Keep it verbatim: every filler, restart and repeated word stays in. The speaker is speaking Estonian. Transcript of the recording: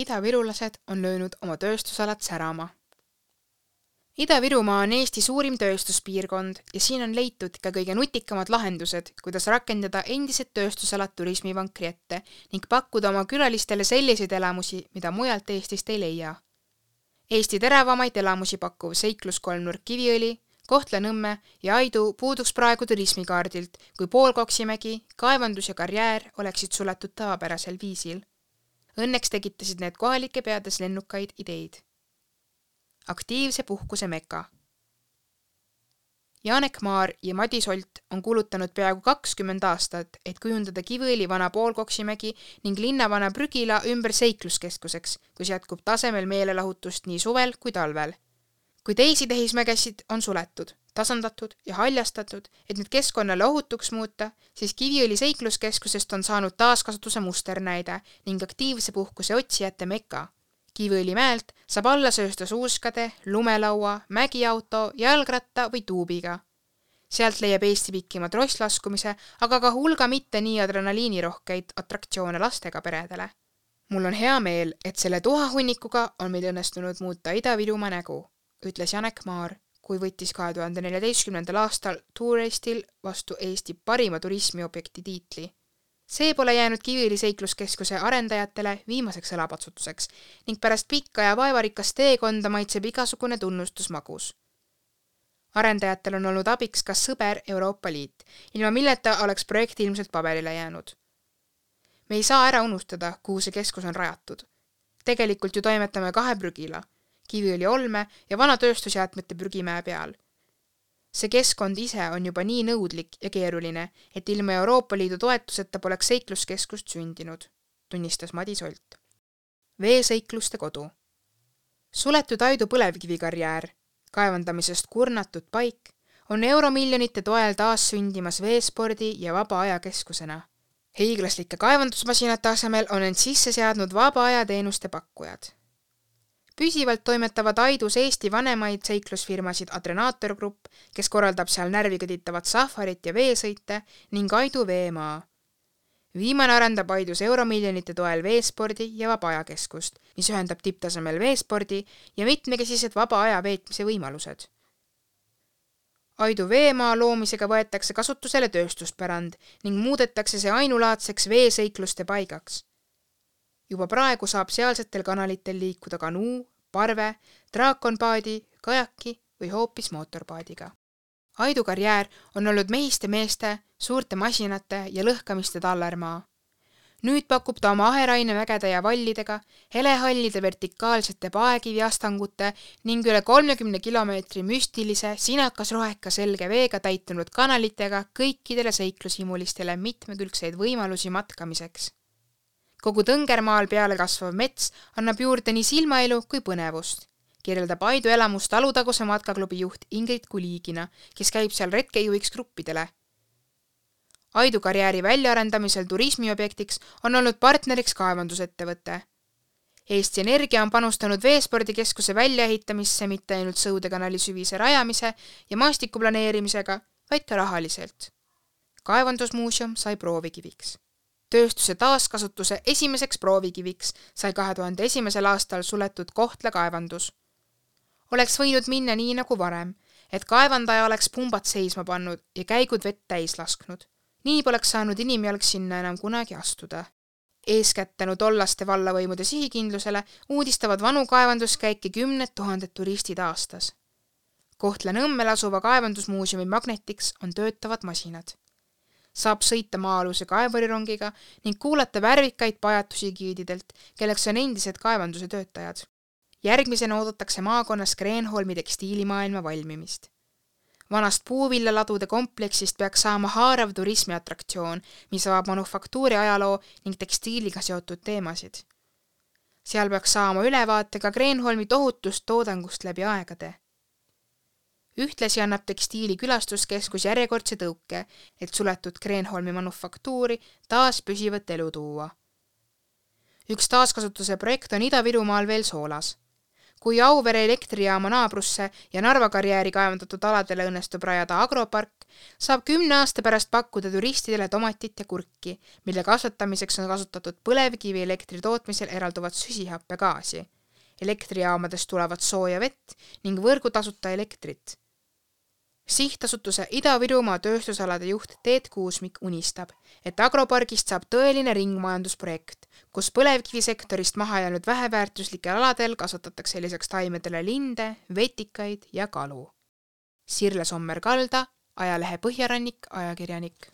Ida-virulased on löönud oma tööstusalad särama. Ida-Virumaa on Eesti suurim tööstuspiirkond ja siin on leitud ka kõige nutikamad lahendused, kuidas rakendada endised tööstusalad turismivankri ette ning pakkuda oma külalistele selliseid elamusi, mida mujalt Eestist ei leia. Eesti teravamaid elamusi pakkuv seikluskolmnurk Kiviõli, Kohtla-Nõmme ja Aidu puuduks praegu turismikaardilt, kui Poolkoksimägi, kaevandus ja karjäär oleksid suletud tavapärasel viisil. Õnneks tegitasid need kohalike peades lennukaid ideid. Aktiivse puhkuse meka. Janek Maar ja Madis Olt on kulutanud peaaegu kakskümmend aastat, et kujundada Kiviõli vana Poolkoksimägi ning linnavana Prügila ümber seikluskeskuseks, kus jätkub tasemel meelelahutust nii suvel kui talvel. Kui teisi tehismägesid on suletud, tasandatud ja haljastatud, et need keskkonnale ohutuks muuta, siis Kiviõli seikluskeskusest on saanud taaskasutuse musternäide ning aktiivse puhkuse otsijate meka. Kiviõli mäelt saab alla söösta suuskade, lumelaua, mägiauto, jalgratta või tuubiga. Sealt leiab Eesti pikima trosslaskumise, aga ka hulga mitte nii adrenaliinirohkeid atraktsioone lastega peredele. Mul on hea meel, et selle tuhahunnikuga on meil õnnestunud muuta Ida-Virumaa nägu, ütles Janek Maar, kui võttis kahe tuhande neljateistkümnendal aastal Touristil vastu Eesti parima turismiobjekti tiitli. See pole jäänud Kiviõli seikluskeskuse arendajatele viimaseks õlapatsutuseks ning pärast pikka ja vaevarikast teekonda maitseb igasugune tunnustus magus. Arendajatel on olnud abiks ka sõber Euroopa Liit, ilma milleta oleks projekt ilmselt paberile jäänud. Me ei saa ära unustada, kuhu see keskus on rajatud. Tegelikult ju toimetame kahe Prügila, Kiviõli olme ja vana tööstusjäätmete prügimäe peal. See keskkond ise on juba nii nõudlik ja keeruline, et ilma Euroopa Liidu toetuseta poleks seikluskeskust sündinud, tunnistas Madis Olt. Veeseikluste kodu. Suletud Aidu põlevkivikarjäär, kaevandamisest kurnatud paik, on euromiljonite toel taas sündimas veespordi ja vaba aja keskusena. Hiiglaslike kaevandusmasinate asemel on end sisse seadnud vaba aja teenuste pakkujad. Püsivalt toimetavad Aidus Eesti vanemaid seiklusfirmasid Adrenaator Grupp, kes korraldab seal närvikõditavat safarit ja veesõite, ning Aidu Veemaa. Viimane arendab Aidus euromiljonite toel veespordi ja vaba ajakeskust, mis ühendab tipptasemel veespordi ja mitmekesised vaba aja veetmise võimalused. Aidu Veemaa loomisega võetakse kasutusele tööstuspärand ning muudetakse see ainulaadseks veeseikluste paigaks. Juba praegu saab sealsetel kanalitel liikuda kanuu, parve, draakonpaadi, kajaki või hoopis mootorpaadiga. Aidu karjäär on olnud mehiste meeste, suurte masinate ja lõhkamiste tallermaa. Nüüd pakub ta oma aheraine vägede ja vallidega, helehallide vertikaalsete paekiviastangute ning üle kolmekümne kilomeetri müstilise, sinakas-roheka selge veega täitunud kanalitega kõikidele seiklushimulistele mitmekülgseid võimalusi matkamiseks. Kogu Tõngermaal peale kasvav mets annab juurde nii silmaelu kui põnevust. Kirjeldab Aidu elamust Alutaguse matkaklubi juht Ingrid Kuliigina, kes käib seal retkejuhiks gruppidele. Aidu karjääri väljaarendamisel turismiobjektiks on olnud partneriks kaevandusettevõte. Eesti Energia on panustanud veespordikeskuse väljaehitamisse mitte ainult Sõudekanali süvise rajamise ja maastikuplaneerimisega, vaid ka rahaliselt. Kaevandusmuuseum sai proovikiviks. Tööstuse taaskasutuse esimeseks proovikiviks sai kahe tuhande esimesel aastal suletud Kohtla kaevandus. Oleks võinud minna nii nagu varem, et kaevandaja oleks pumbad seisma pannud ja käigud vett täis lasknud. Nii poleks saanud inimjalg sinna enam kunagi astuda. Eeskätt tänu tollaste vallavõimude sihikindlusele uudistavad vanu kaevanduskäike kümned tuhanded turistid aastas. Kohtla-Nõmmel asuva kaevandusmuuseumi magnetiks on töötavad masinad. Saab sõita maa-aluse kaevurirongiga ning kuulata värvikaid pajatusi giididelt, kelleks on endised kaevanduse töötajad. Järgmisena oodatakse maakonnas Kreenholmi tekstiilimaailma valmimist. Vanast puuvillaladude kompleksist peaks saama haarav turismiatraktsioon, mis avab manufaktuuri ajaloo ning tekstiiliga seotud teemasid. Seal peaks saama ülevaate ka Kreenholmi tohutust toodangust läbi aegade. Ühtlasi annab tekstiili külastuskeskus järjekordse tõuke, et suletud Kreenholmi manufaktuuri taas püsivat elu tuua. Üks taaskasutuse projekt on Ida-Virumaal veel Soolas. Kui Auvere elektrijaama naabrusse ja Narva karjääri kaevandatud aladele õnnestub rajada agropark, saab kümne aasta pärast pakkuda turistidele tomatit ja kurki, mille kasvatamiseks on kasutatud põlevkivi elektri tootmisel eralduvat süsihappegaasi. Elektrijaamadest tulevad sooja vett ning võrgu tasuta elektrit. Sihtasutuse Ida-Virumaa tööstusalade juht Teet Kuusmik unistab, et agropargist saab tõeline ringmajandusprojekt, kus põlevkivisektorist maha jäänud väheväärtuslikel aladel kasvatatakse lisaks taimedele linde, vetikaid ja kalu. Sirle Sommer-Kalda, ajalehe Põhjarannik, ajakirjanik.